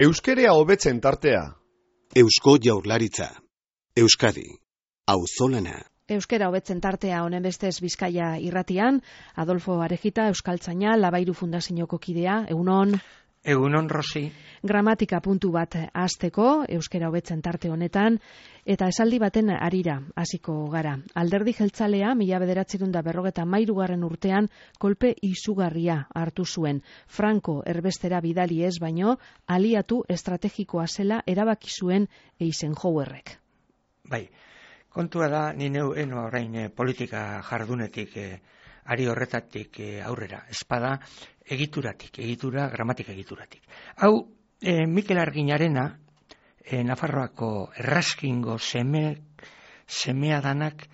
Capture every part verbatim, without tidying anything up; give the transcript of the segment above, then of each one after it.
Euskerea hobetzen tartea. Eusko Jaurlaritza. Euskadi. Auzolana. Euskera hobetzen tartea honen bestez Bizkaia irratian, Adolfo Arejita, Euskaltzaina, Labairu Fundazioko kidea, egunon. Egunon, Rosi. Gramatika puntu bat hasteko, euskera hobetzen tarte honetan, eta esaldi baten harira hasiko gara. Alderdi jeltzalea, mila bederatziehun eta berrogeita hamairugarren urtean, kolpe izugarria hartu zuen. Franco erbestera bidali ez baino, aliatu estrategikoa zela erabaki zuen Eisenhowerrek. Bai, kontua da, ni neu eno orain eh, politika jardunetik, eh, ari horretatik eh, aurrera, espada egituratik, egitura, gramatika egituratik. Hau, eh, Mikel Arginarena, eh, Nafarroako erraskingo seme, semea danak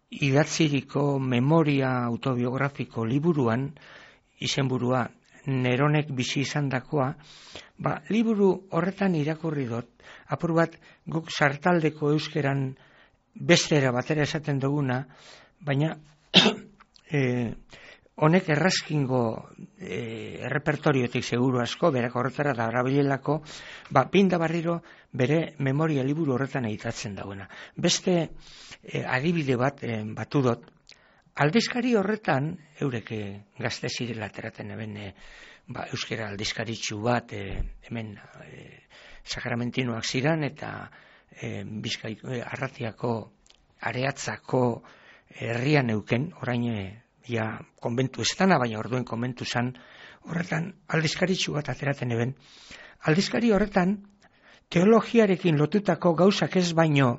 idatziriko memoria autobiografiko liburuan, izenburua Neronek bizi izandakoa, ba, liburu horretan irakurri dut, apur bat guk sartaldeko euskeran bestera batera esaten duguna, baina eh, honek erraskingo e, errepertoriotik seguru asko, berak horretara da erabilelako, ba, pinda barriro bere memoria liburu horretan editatzen dagoena. Beste e, adibide bat e, batu dut, aldizkari horretan, eurek e, gazte zirela ateraten eben e, ba, euskera aldizkaritxu bat, e, hemen e, sakramentinoak ziran, eta e, Bizkai, e, Arratiako areatzako herrian euken, orain e, ja konbentu ez dana, baina orduen konbentu zan, horretan aldizkaritxu bat ateraten eben. Aldizkari horretan, teologiarekin lotutako gauzak ez baino,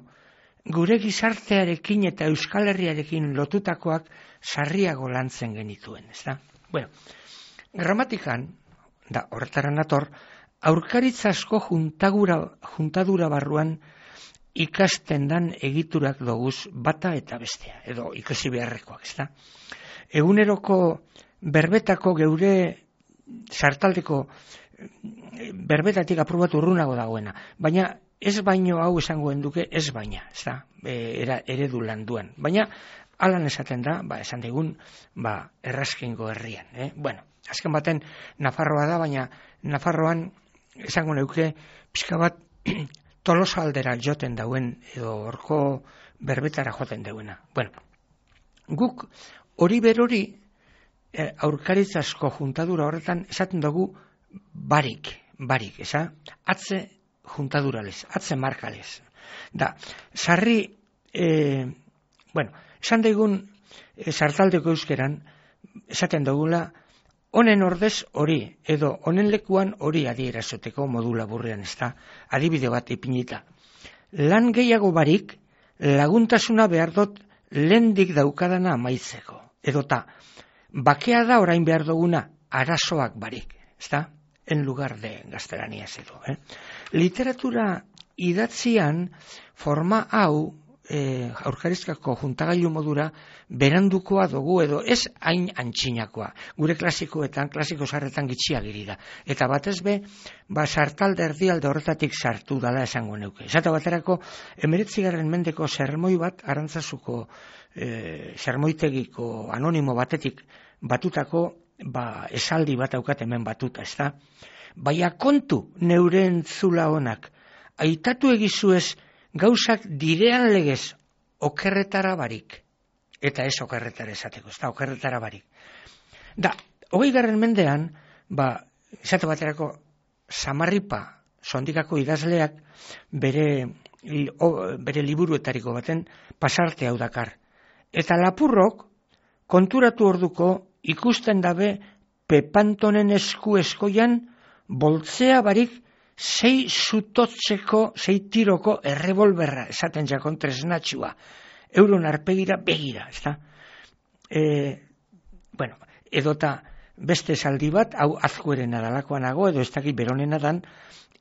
gure gizartearekin eta Euskal Herriarekin lotutakoak sarriago lantzen genituen, ez da? Bueno, gramatikan, da horretara nator, aurkaritza asko juntagura, juntadura barruan ikasten dan egiturak doguz bata eta bestea, edo ikusi beharrekoak, ez da? Eguneroko berbetako geure sartaldeko berbetatik aprobat urrunago dagoena, baina ez baino hau esangoen duke, ez baina, ez da, e, era, eredu landuan, baina alan esaten da, ba, esan digun, ba, erraskingo herrian, eh? Bueno, azken baten Nafarroa da, baina Nafarroan esango neuke pixka bat Tolosa aldera joten dauen, edo horko berbetara joten dauena. Bueno, guk hori berori eh, aurkaritzasko juntadura horretan esaten dugu barik, barik, eza? Atze juntaduralez, atze markalez. Da, sarri, eh, bueno, esan daigun eh, sartaldeko euskeran, esaten dugula, honen ordez hori, edo honen lekuan hori adierazoteko modu laburrean, ez da, adibide bat ipinita. Lan gehiago barik, laguntasuna behar dut lehendik daukadana amaitzeko. Edota, bakea da orain behar duguna arazoak barik, ez da, en lugar de gaztelaniaz edo. Eh? Literatura idatzian forma hau, E, aurkarizkako juntagailu modura berandukoa dugu edo ez hain antxinakoa. Gure klasikoetan, klasiko sarretan gitxia girida. Eta batez be, ba, sartalde erdialde horretatik sartu dala esango neuke. Esata baterako, emeretzigarren mendeko sermoi bat, Arantzazuko e, sermoitegiko anonimo batetik batutako, ba, esaldi bat aukat hemen batuta, ez da? Baina kontu neure entzula honak, aitatu egizu ez gauzak direan legez okerretara barik, eta ez okerretara esateko, ez da, okerretara barik. Da, hogei garren mendean, ba, esate baterako, Samarripa sondikako idazleak bere, o, bere liburuetariko baten pasarte hau dakar. Eta lapurrok konturatu orduko ikusten dabe Pepantonen esku eskoian boltzea barik sei zutotzeko, sei tiroko errebolberra, esaten jakon tresnatxua, euron arpegira begira, ez da? E, bueno, edota beste esaldi bat, hau azkueren adalakoan nago, edo ez dakit beronena dan,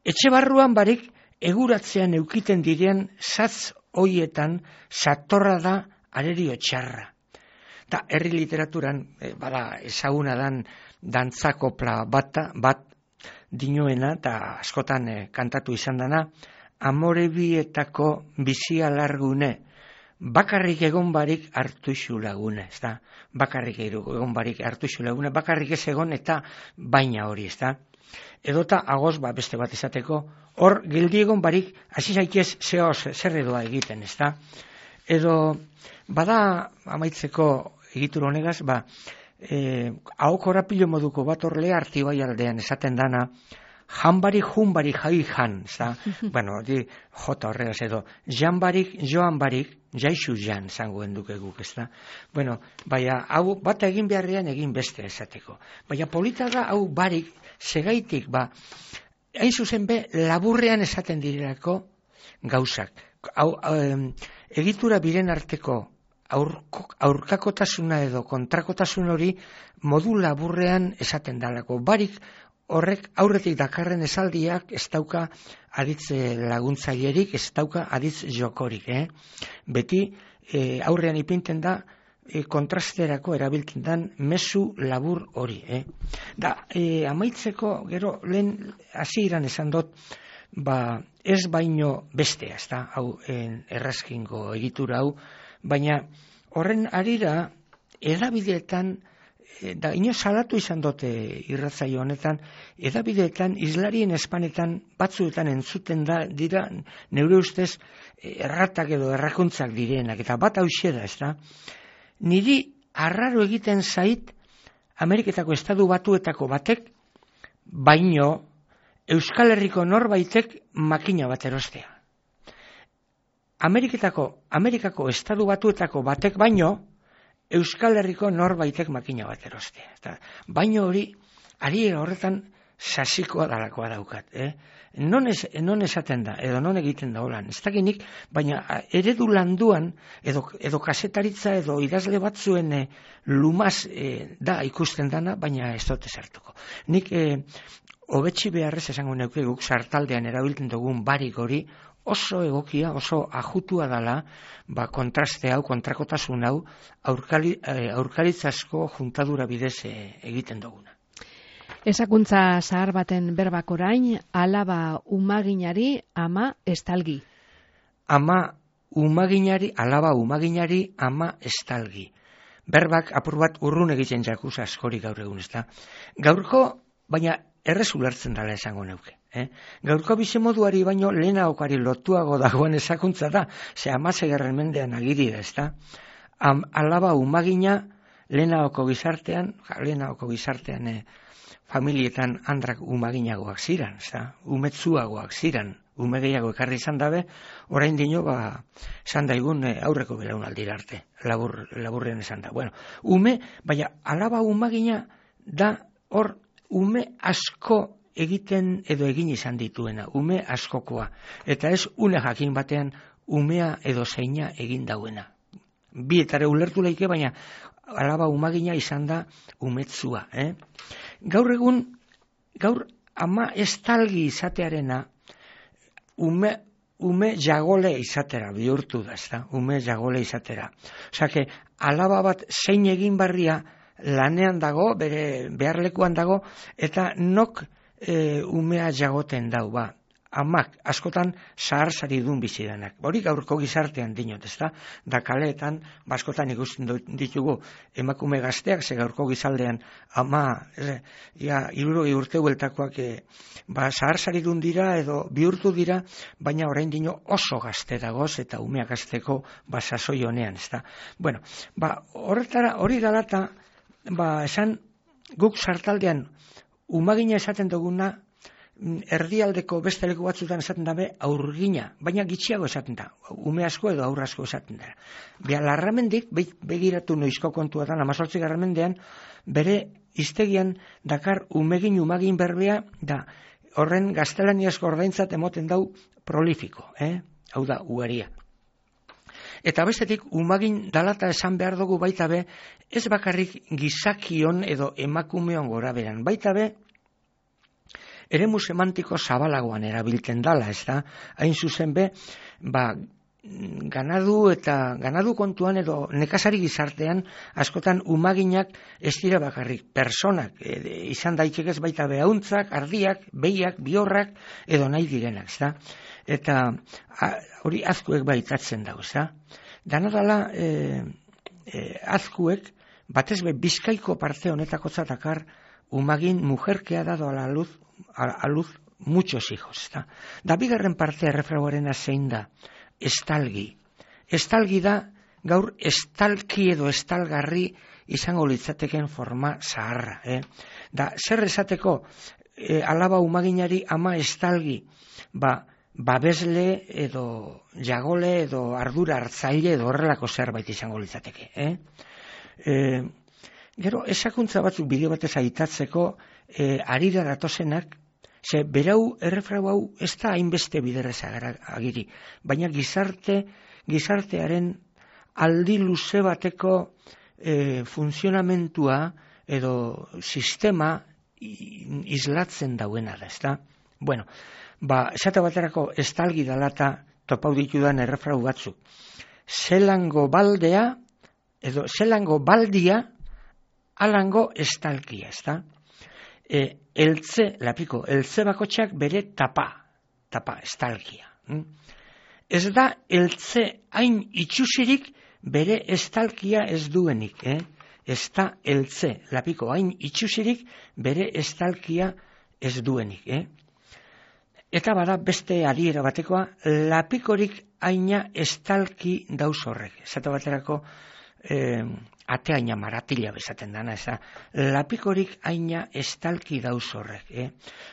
etxe barruan barik eguratzean eukiten direan zatz hoietan satorra da arerio txarra. Da, herri literaturan, e, bada, ezaguna dan dantzakopla bata, bat, dinoena, eta askotan eh, kantatu izan dana, amorebietako bizia largune, bakarrik egon barik hartu isu lagune, ez da? Bakarrik egon barik hartu isu lagune, bakarrik ez egon eta baina hori, ez da? edota agoz ba, beste bat izateko, hor gildiegon barik, hasi zaitez zehoz zer edoa egiten, ez da? Edo, bada amaitzeko egitur honegaz, ba, eh, hau korapilo moduko bat horle artibai aldean esaten dana, janbarik junbarik jai jan, ez da? Bueno, di, jota horregaz edo, janbarik joan barik, jaixu jan zangoen duke guk, ez da? Bueno, baina, hau bata egin beharrean egin beste esateko. Baina polita da, hau barik, segaitik, ba, hain zuzen be, laburrean esaten direlako gauzak. Hau, um, egitura biren arteko aurko, aurkakotasuna edo kontrakotasun hori modu laburrean esaten dalako. Barik horrek aurretik dakarren esaldiak ez dauka aditz laguntzailerik, ez dauka aditz jokorik. Eh? Beti eh, aurrean ipinten da e, kontrasterako erabiltzen den mezu labur hori. Eh? Da, e, amaitzeko, gero, lehen hasieran esan dut, ba, ez baino bestea, ez da, hau en, errazkingo egitura hau, baina horren arira edabideetan, da ino salatu izan dute irratzaio honetan, edabideetan, islarien espanetan, batzuetan entzuten da, dira, neure ustez, erratak edo errakuntzak direnak, eta bat hauxe da, ez da, niri arraro egiten zait Ameriketako estatu batuetako batek, baino Euskal Herriko norbaitek makina bat erostea. Ameriketako, Amerikako estatu batuetako batek baino, Euskal Herriko norbaitek makina bat erostea. Eta, baino hori, ari horretan sasikoa dalakoa daukat. Eh? Non, ez, non esaten da, edo non egiten da holan. Ez dakinik, baina eredu landuan, edo, edo kasetaritza, edo idazle batzuen eh, lumaz eh, da ikusten dana, baina ez dute sartuko. Nik eh, hobetsi beharrez esango neuke guk sartaldean erabiltzen dugun barik hori, oso egokia, oso ajutua dala, ba, kontraste hau, kontrakotasun hau, aurkali, eh, aurkaritzasko juntadura bidez eh, egiten duguna. Esakuntza zahar baten berbak orain, alaba umaginari, ama estalgi. Ama umaginari, alaba umaginari, ama estalgi. Berbak apur bat urrun egiten jakuz askori gaur egun, ez da. Gaurko, baina errez ulertzen dela esango neuke. Eh? Gaurko bizimoduari baino lehenaokari lotuago dagoen esakuntza da, ze amasegarren mendean agiri da, ez da. Am, alaba umagina lehenaoko gizartean, ja, lehenaoko gizartean eh, familietan handrak umaginagoak ziran, ez da, umetzuagoak ziran, ume gehiago ekarri izan dabe, orain dino, ba, esan daigun eh, aurreko belaunaldira arte, labur, laburrean esan da. Bueno, ume, baina alaba umagina da hor ume asko egiten edo egin izan dituena, ume askokoa, eta ez une jakin batean umea edo zeina egin dauena. Bietare ulertu leike, baina alaba umagina izan da umetzua. Eh? Gaur egun, gaur ama estalgi izatearena, ume, ume jagole izatera bihurtu da, ezta? Ume jagole izatera. Osea, que alaba bat zein egin barria lanean dago, bere beharlekuan dago, eta nok e, umea jagoten dau, ba. Amak, askotan zahar-zari dun bizidanak. Hori gaurko gizartean dinot, ez da? Da kaleetan, askotan ikusten ditugu emakume gazteak, ze gaurko gizaldean ama, e, ja, hirurogei urte hueltakoak e, ba, zahar-zari dun dira edo bihurtu dira, baina orain dino oso gazte dagoz eta umeak gazteko ba, sasoi honean, ez da? Bueno, ba, horretara, hori galata, ba, esan guk sartaldean umagina esaten duguna, erdialdeko beste leku batzutan esaten dabe aurgina, baina gitxiago esaten da, ume asko edo aur asko esaten da. Bia, larramendik, begiratu noizko kontuatan, amazortzi garramendean, bere hiztegian dakar umegin umagin berbea, da horren gaztelaniazko ordaintzat emoten dau prolifiko, eh? Hau da, ugaria. Eta bestetik, umagin dalata esan behar dugu baita be, ez bakarrik gizakion edo emakumeon gora beran, baita be, eremu semantiko zabalagoan erabiltzen dala, ez da? Hain zuzen be, ba, ganadu eta ganadu kontuan edo nekazari gizartean askotan umaginak ez dira bakarrik personak, e, izan daitekez baita behauntzak, ardiak, behiak, biorrak edo nahi direnak, ez da? Eta a, hori azkuek baitatzen dago, ez da? Dana dala e, e, azkuek batez be Bizkaiko parte honetako zatakar umagin mujerkea da doa la luz a, a luz muchos hijos. Da, da bigarren partea errefragoarena zein da, estalgi. Estalgi da, gaur estalki edo estalgarri izango litzateken forma zaharra. Eh? Da, zer esateko, e, alaba umaginari ama estalgi, ba, babesle edo jagole edo ardura hartzaile edo horrelako zerbait izango litzateke. Eh? E, gero, esakuntza batzuk bideo batez aitatzeko, e, arira datozenak, ze berau errefrau hau ez da hainbeste biderrez agiri, baina gizarte, gizartearen aldi luze bateko e, funtzionamentua edo sistema islatzen dauena da, ezta? Bueno, ba, esate baterako estalgi dala eta topau ditudan errefrau batzuk. Zelango baldea, edo zelango baldia, alango estalkia, ezta? E, eltze, lapiko, eltze bakotxak bere tapa, tapa, estalkia. Hm? Ez da eltze hain itxusirik bere estalkia ez duenik, eh? Ez da eltze, lapiko, hain itxusirik bere estalkia ez duenik, eh? Eta bada beste adiera batekoa, lapikorik haina estalki dauz horrek. Zata baterako, eh, ateaina maratila bezaten dana, ez da, lapikorik haina estalki dauz horrek. Eh?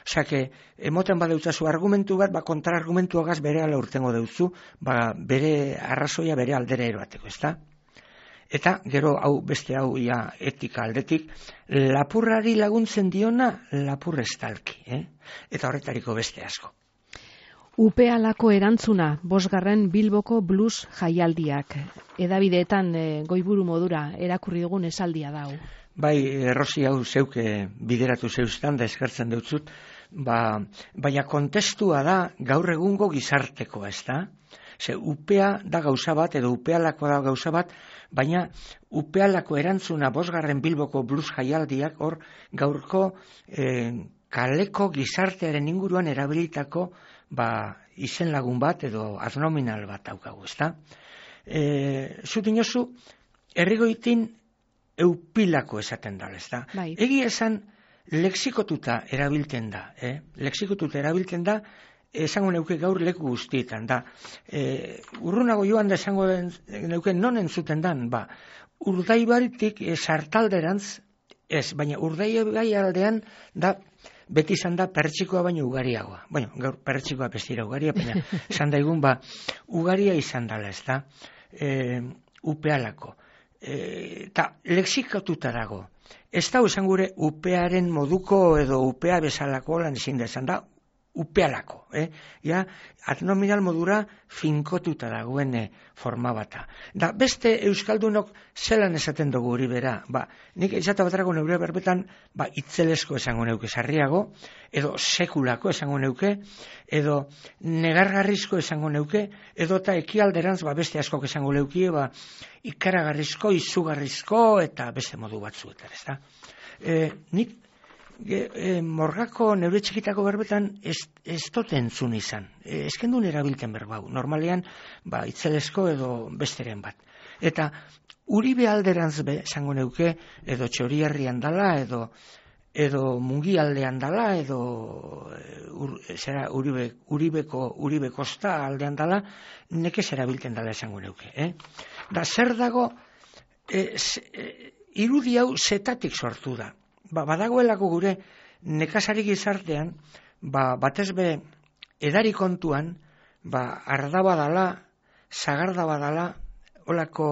Osa, que, emoten badeutzazu argumentu bat, ba, kontrargumentuagaz bere ala urtengo deutzu, ba, bere arrazoia bere aldera eroateko, ez da? Eta, gero, hau, beste hau, ja, etika aldetik, lapurrari laguntzen diona, lapur estalki, eh? Eta horretariko beste asko. Upealako erantzuna, bosgarren Bilboko blues jaialdiak. Edabideetan e, goiburu modura erakurri dugun esaldia da hau. Bai, Rosi, hau zeuke bideratu zeuztan da eskartzen deutzut, ba, baina kontestua da gaur egungo gizartekoa, ez da? Ze upea da gauza bat, edo upealako da gauza bat, baina upealako erantzuna bosgarren Bilboko blues jaialdiak hor gaurko eh, kaleko gizartearen inguruan erabilitako ba, izen lagun bat edo adnominal bat daukagu, ezta? E, Zutin oso, errigoitin eupilako esaten da, ezta? Bai. Egi esan, lexikotuta erabiltzen da, eh? Lexikotuta erabiltzen da, esango neuke gaur leku guztietan, da. E, urrunago joan da esango neuke non entzuten dan, ba, Urdaibaritik e, sartalderantz, ez, baina Urdaibai aldean da, beti izan da pertsikoa baino ugariagoa. Bueno, gaur pertsikoa bestira ugaria, baina izan daigun, ba, ugaria izan dala, ez da, e, upealako. Eta e, lexikatuta dago. Ez da, esan gure, upearen moduko edo upea bezalako lan ezin da, esan da, upealako, eh? Ja, adnominal modura finkotuta dagoen forma bata. Da, beste euskaldunok zelan esaten dugu hori bera, ba, nik esata baterako neure berbetan, ba, itzelesko esango neuke sarriago, edo sekulako esango neuke, edo negargarrizko esango neuke, edo eta ekialderantz, ba, beste askok esango neukie, ba, ikaragarrizko, izugarrizko, eta beste modu batzuetan, ez da? E, nik E, e, morgako neure txikitako berbetan ez, ez dut entzun izan. E, ezkendun erabilten berbau. Normalean, ba, itzelesko edo besteren bat. Eta Uribe alderantz be, esango neuke, edo Txoriarrian dala, edo edo Mungi aldean dala, edo ur, zera, Uribe, Uribeko, Uribe Kosta aldean dala, nekez erabilten dala esango neuke. Eh? Da, zer dago, e, z, e, irudi hau zetatik sortu da. Ba, badagoelako gure nekazari gizartean, ba, batez be edari kontuan, ba, ardaba dala, zagardaba dala, olako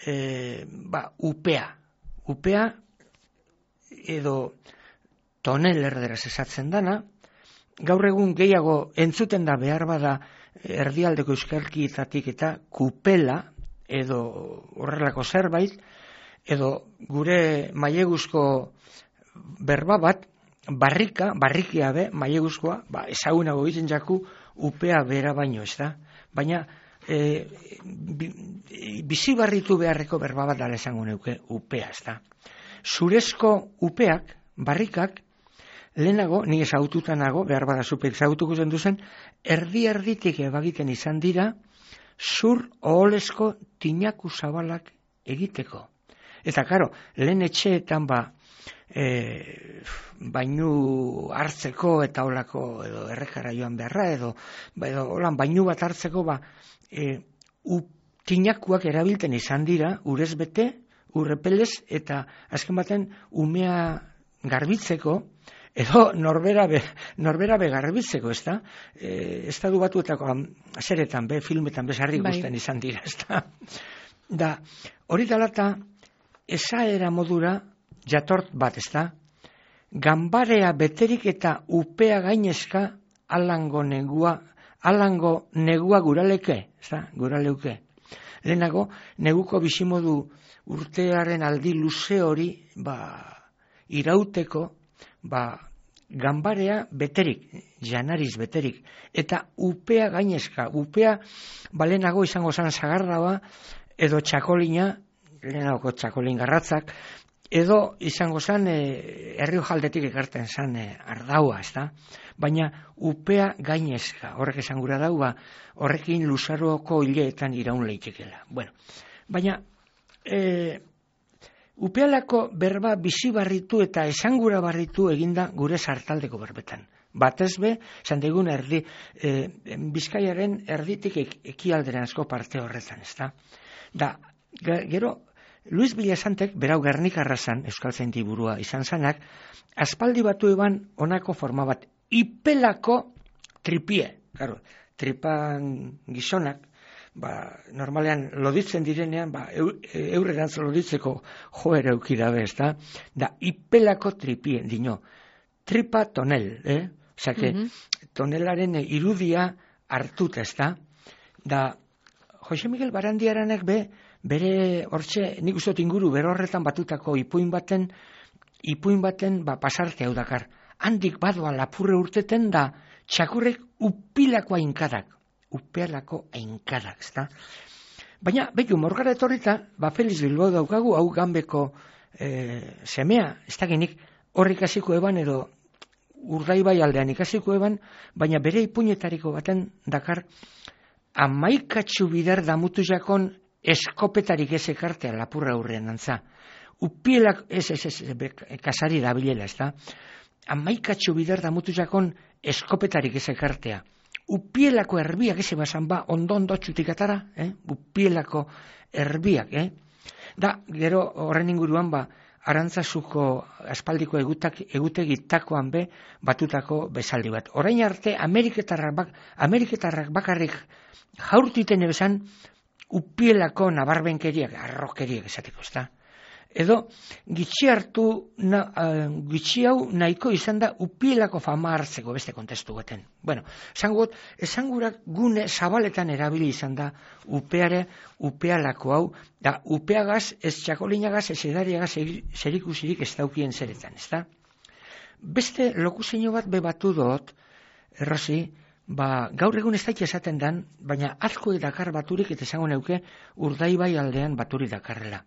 e, ba, upea. Upea edo tonel erderaz esatzen dana, gaur egun gehiago entzuten da behar bada erdialdeko euskalkietatik eta kupela edo horrelako zerbait, edo gure maileguzko berba bat, barrika, barrikia be, maileguzkoa, ba, ezagunago egiten jaku upea bera baino, ez da? Baina, e, bi, bizibarritu beharreko berba bat dala esango neuke upea, ez da? Zurezko upeak, barrikak, lehenago, ni ezagututa nago, behar bada zupek ezagutuko zen duzen, erdi-erditik ebagiten izan dira, zur oholesko tinaku zabalak egiteko. Eta, karo, lehen etxeetan ba, e, bainu hartzeko eta olako edo errekara joan beharra edo, edo holan bainu bat hartzeko ba, e, tinakuak erabilten izan dira urez bete, urrepelez eta azken baten umea garbitzeko edo norbera be, norbera be garbitzeko, ez da? E, estadu batuetako azeretan be, filmetan bezarri guztien bai. Izan dira, ez da? Da, hori dalata, esaera modura jatort bat, ez da? Ganbarea beterik eta upea gainezka alango negua, alango negua guraleke, ez da? Guraleuke. Lehenago, neguko bizimodu urtearen aldi luze hori, ba, irauteko, ba, ganbarea beterik, janariz beterik, eta upea gainezka, upea balenago izango zan zagarraua, edo txakolina, lehenagoko txakolin garratzak, edo izango zan e, Erriojaldetik ekarten zan e, ardaua, ez da? Baina upea gainezka, horrek esan gura dau, ba, horrekin luzaroako hileetan iraun leitekela. Bueno, baina e, upealako berba bizi barritu eta esangura barritu eginda gure sartaldeko berbetan. Batez be, esan digun erdi, e, Bizkaiaren erditik ek, ekialderanzko parte horretan, ez da? Da, gero, Luis Villasantek, berau Gernikarra zan, Euskaltzaindi burua izan zanak, aspaldi batu eban honako forma bat, ipelako tripie. Claro, tripan gizonak, ba, normalean loditzen direnean, ba, eurrerantz loditzeko joera eukidabe, ez da? Da, ipelako tripie, dino. Tripa tonel, eh? Osa, que mm-hmm. tonelaren irudia hartuta, ez da? Da, Jose Miguel Barandiaranek be, bere hortxe, nik uste inguru, bere horretan batutako ipuin baten, ipuin baten, ba, pasarte hau dakar. Handik badoa lapurre urteten da, txakurrek upilako ainkadak, upealako ainkadak, ezta? Baina, behiu, morgara etorrita, ba, Feliz Bilbao daukagu, hau Ganbeko e, semea, ez da genik, horrik ikasiko eban, edo Urdaibai aldean ikasiko eban, baina bere ipuinetariko baten dakar, amaikatxu bider damutu jakon eskopetarik ez ekartea lapurra aurrean antza. Upielak, ez, ez, ez, kasari da bilela, ez da? Amaikatxu bider damutu jakon eskopetarik ez ekartea. Upielako erbiak ez ebazan ba, ondo-ondo txutik atara, eh? Upielako erbiak, eh? Da, gero horren inguruan ba, Arantzazuko aspaldiko egutak, egutegitakoan be batutako bezaldi bat. Orain arte, Ameriketarrak, bak, Ameriketarrak bakarrik jaurtiten ebezan, upielako nabarbenkeriak, arrokeriak esateko, ez da? Edo, gitxi hartu, na, uh, gitxi hau nahiko izan da upielako fama hartzeko beste kontestu baten. Bueno, esangut, esangurak gune zabaletan erabili izan da upeare, upealako hau, da upeagaz, ez txakolinagaz, ez edariagaz zerikusirik ez daukien zeretan, ez da? Beste lokuzeino bat bebatu dut, errozi, ba, gaur egun ez daik esaten dan, baina asko edakar baturik eta esango neuke Urdaibai aldean baturi dakarrela.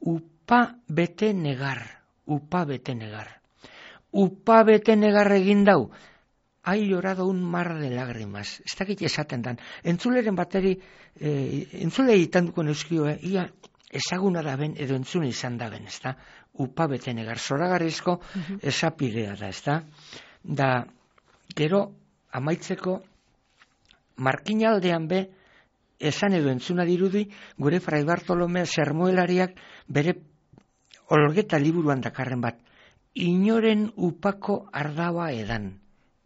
Upa bete negar, upa bete negar. Upa bete negar egin dau, hai llorado un mar de lágrimas. Ez dakit esaten dan. Entzuleren bateri, eh, entzule itanduko neuskio, eh, ia ezaguna da ben, edo entzune izan da ben, ez da? Upa bete negar, zoragarrizko uh-huh. esapidea da, ez da? Da, gero, amaitzeko, markinaldean be, esan edo entzuna dirudi, gure Fray Bartolome sermoelariak bere olgeta liburuan dakarren bat. Inoren upako ardaua edan.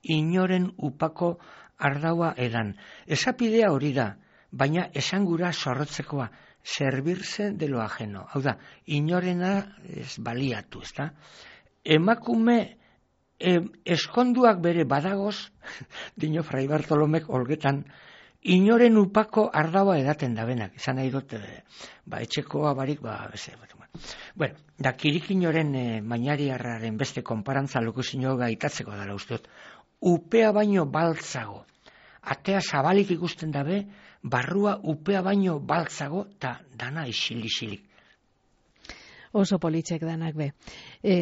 Inoren upako ardaua edan. Esapidea hori da, baina esangura zorrotzekoa, servirse de lo ajeno. Hau da, inorena ez baliatu, ez da? Emakume e, eskonduak bere badagoz, dino Fray Bartolomek olgetan, inoren upako ardaua edaten da benak. Izan nahi dut, e, ba, etxekoa barik, ba, beze, bat, bueno, da kirikinoren e, mainariarraren beste konparantza lokuzino gaitatzeko dara usteot. Upea baino baltzago. Atea zabalik ikusten dabe, barrua upea baino baltzago, eta dana isili-isilik. Oso politxek danak be. E,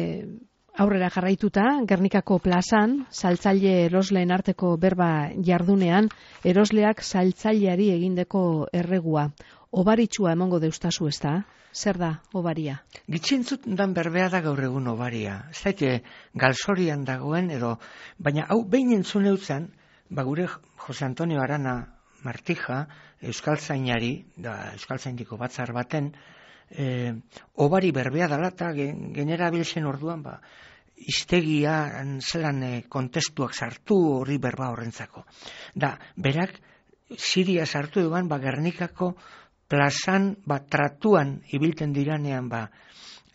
aurrera jarraituta, Gernikako plazan, saltzaile erosleen arteko berba jardunean, erosleak saltzaileari egindeko erregua. obaritsua emongo deustazu, ez da? Zer da obaria? Gitxintzut dan berbea da gaur egun obaria. Ez daite galzorian dagoen edo, baina hau behin entzun eutzen, ba gure Jose Antonio Arana Martija, euskaltzainari, da euskaltzaindiko batzar baten, e, obari berbea dela eta genera biltzen orduan, ba, iztegia zelan e, kontestuak sartu hori berba horrentzako. Da, berak, Siria sartu duan, ba, Gernikako plazan, ba, tratuan ibilten diranean, ba,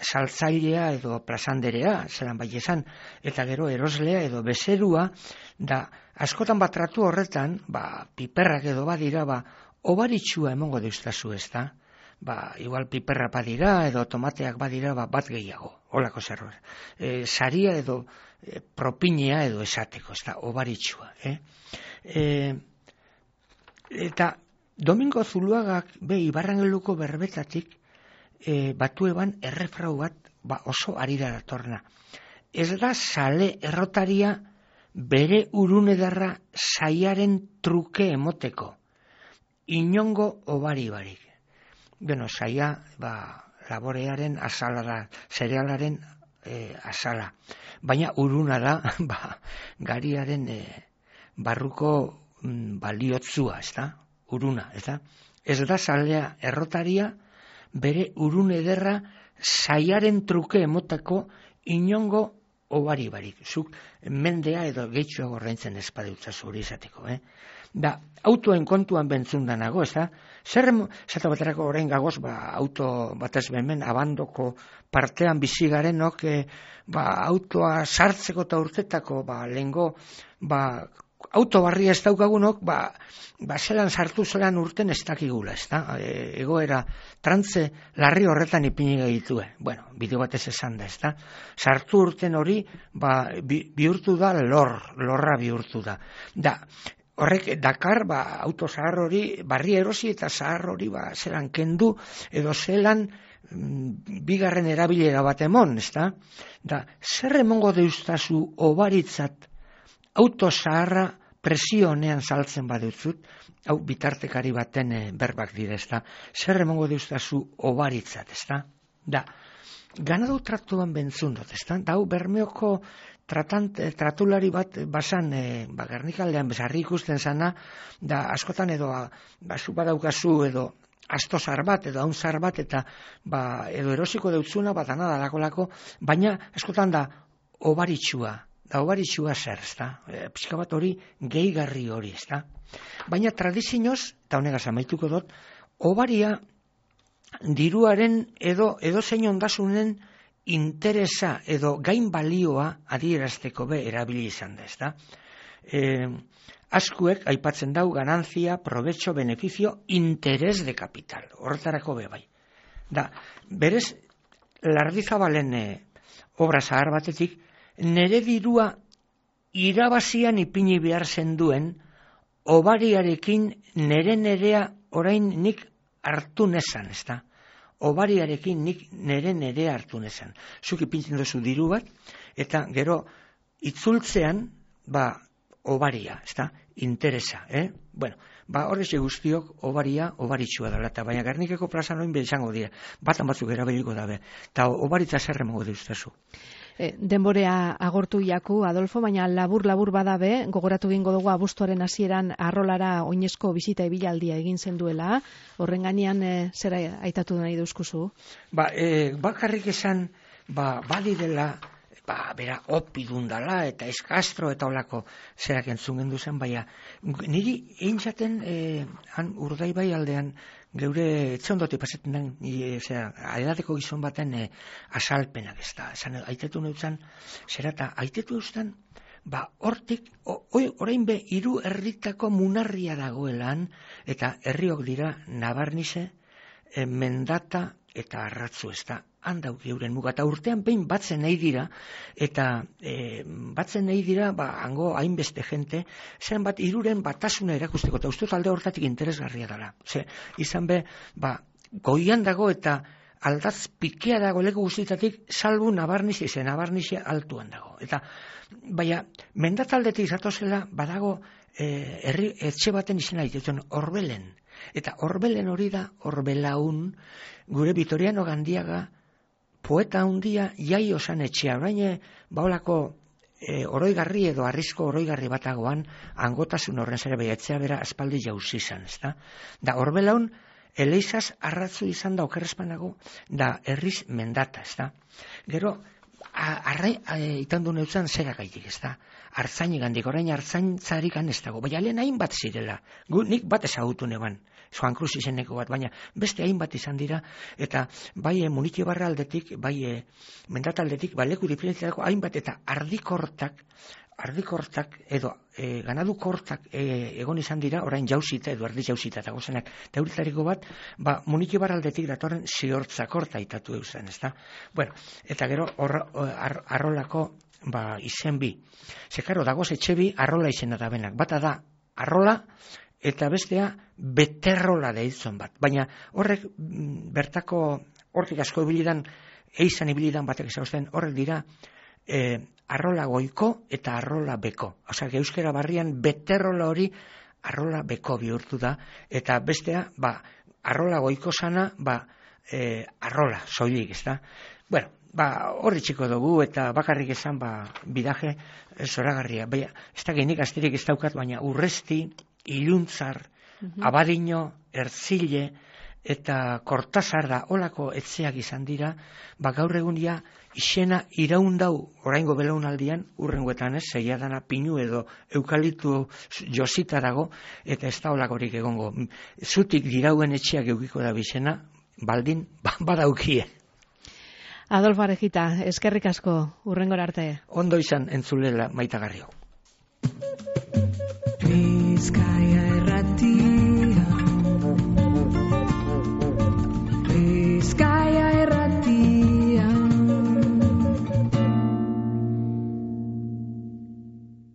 saltzailea edo plazanderea, zelan bai esan, eta gero eroslea edo bezerua, da, askotan bat tratu horretan, ba, piperrak edo badira, ba, obaritsua emongo deustazu, ez da? Ba, igual piperra badira edo tomateak badira, ba, bat gehiago, holako zerbait. E, saria edo e, propinea edo esateko, ez da, obaritsua, eh? E, eta Domingo Zuluagak be Ibarrangeluko berbetatik e, batu eban errefrau bat, ba, oso arira datorna. Ez da sale errotaria bere urunedarra saiaren truke emoteko, inongo obari barik. Bueno, saia, ba, laborearen asala da, zerealaren e, asala. Baina uruna da, ba, gariaren e, barruko mm, baliotzua, ez da? Uruna, ez da? Ez da salea errotaria bere urun ederra saiaren truke emotako inongo obari barik. Zuk mendea edo gehitxoa gorraintzen espadeutza zuri izateko, eh? Da, autoen kontuan bentzun danago, ez da? Zer, zata baterako orain gagoz, ba, auto batez behemen abandoko partean bizigarenok, eh, ba, autoa sartzeko eta urtetako, ba, lehengo, ba, auto barria ez daukagunok, ba, ba zelan sartu zelan urten ez dakigula, ez da? E, egoera trantze larri horretan ipini gehitue. Bueno, bideo batez esan da, ez da? Sartu urten hori, ba, bi, bihurtu da lor, lorra bihurtu da. Da, horrek dakar, ba, auto zahar hori, barri erosi eta zahar hori, ba, zelan kendu, edo zelan mm, bigarren erabilera bat emon, ez da? Da, zer emongo deustazu obaritzat auto zaharra presio honean saltzen badutzut, hau bitartekari baten e, berbak dira, ez da? Zer emongo deustazu obaritzat, ez da? Da, ganadu tratuan bentzun dut, ez da? Da, hau Bermeoko tratant, tratulari bat basan, e, ba, Gernikaldean bezarri ikusten zana, da, askotan edo, ba, zu badaukazu edo, asto zar bat, edo haun zar bat, eta, ba, edo erosiko deutzuna, bat anada lakolako, baina, askotan da, obaritsua, da obaritsua zer, ez da? E, pixka bat hori gehigarri hori, ez da? Baina tradizioz, eta honegaz amaituko dut, obaria diruaren edo edo zein ondasunen interesa edo gain balioa adierazteko be erabili izan da, ez da? E, askuek aipatzen dau ganantzia, probetxo, beneficio, interes de kapital. Horretarako be bai. Da, berez, Lardizabalen e, obra zahar batetik, nere dirua irabazian ipini behar zenduen, obariarekin nere nerea orain nik hartu nezan, ez da? Obariarekin nik nere nerea hartu nezan. Zuk ipintzen duzu diru bat, eta gero itzultzean, ba, obaria, ez da? Interesa, eh? Bueno, ba, horrexe guztiok obaria, obaritsua dela, eta baina Gernikeko plazan oin izango dira, batan batzuk erabiliko dabe, eta obaritza zer emango deustazu. E, denborea agortu jaku, Adolfo, baina labur-labur badabe, gogoratu gingo dugu abuztuaren hasieran Arrolara oinezko bizita ibilaldia egin zen duela, horren gainean e, zera aitatu nahi duzkuzu? Ba, e, bakarrik esan, ba, badirela, ba, bera, opidun dala, eta eskastro, eta olako zerak entzun gendu zen, baina, niri egin zaten, e, han Urdaibai aldean, geure etxe ondote pasetan den, e, zera, edateko gizon baten e, asalpenak ez da. Esan, aitetu neutzen, zera, eta aitetu eustan, ba, hortik, orain be, hiru herritako munarria dagoelan, eta herriok dira Nabarnize, e, Mendata, eta Arratzu, ez da. Handau geuren muga, eta urtean behin batzen nahi dira, eta e, batzen nahi dira, ba, hango hainbeste jente, zen bat iruren batasuna erakusteko, eta ustuz alde hortatik interesgarria dela. Ze, izan be, ba, goian dago eta aldaz pikea dago leku guztietatik, salbu Nabarnize, ze Nabarnize altuan dago. Eta, baina, mendataldetik zatozela, badago, e, herri, etxe baten izena ditutzen, Orbelen. Eta Orbelen hori da, Orbelaun, gure Vitoriano Gandiaga, poeta handia jai osan etxea, orain baolako e, oroigarri edo arrizko oroigarri batagoan angotasun horren zere behiatzea bera aspaldi jauzi izan, ezta? Da Orbelaun eleizaz arratzu izan da okerrezpanago, da herriz mendata, ezta? Gero, arrai itan du neutzen zera gaitik, ezta? Artzaini gandik, orain artzaintzarik ez dago, baina lehen hainbat zirela, gu, nik bat ezagutu neban, Juan Cruz izeneko bat, baina beste hainbat izan dira, eta bai Munitio Barra aldetik, bai mendataldetik, bai leku diferentziatako hainbat, eta ardikortak, ardikortak edo e, ganadukortak e, egon izan dira, orain jauzita edo ardi jauzita eta gozenak, eta horitariko bat, ba, Munitio Barra aldetik datorren ziortzakorta itatu eusen, ezta? Bueno, eta gero or, ar, arrolako ba, izen bi. Zekaro, dagoz etxe bi arrola izena da benak. Bata da arrola, eta bestea beterrola deitzen bat. Baina horrek bertako, hortik asko ibilidan, eizan ibilidan batek ezagusten, horrek dira e, arrola goiko eta arrola beko. Osea, euskera barrian beterrola hori arrola beko bihurtu da, eta bestea, ba, arrola goiko sana, ba, e, arrola, soilik, ez da? Bueno, ba, horri txiko dugu, eta bakarrik esan, ba, bidaje zoragarria. Baina, ez da genik asterik ez daukat, baina urresti, iluntzar, mm-hmm. abadino, erzile, eta kortazar da, olako etzeak izan dira, ba, gaur egunia, isena iraundau, oraingo belaunaldian, urrengoetan ez, zeia dana pinu edo eukalitu josita dago, eta ez da olakorik egongo. Zutik dirauen etxeak eukiko da bizena, baldin, ba, badaukie. Adolfo Arejita, eskerrik asko, urrengora arte. Ondo izan entzulela maitagarrio. Bizkaia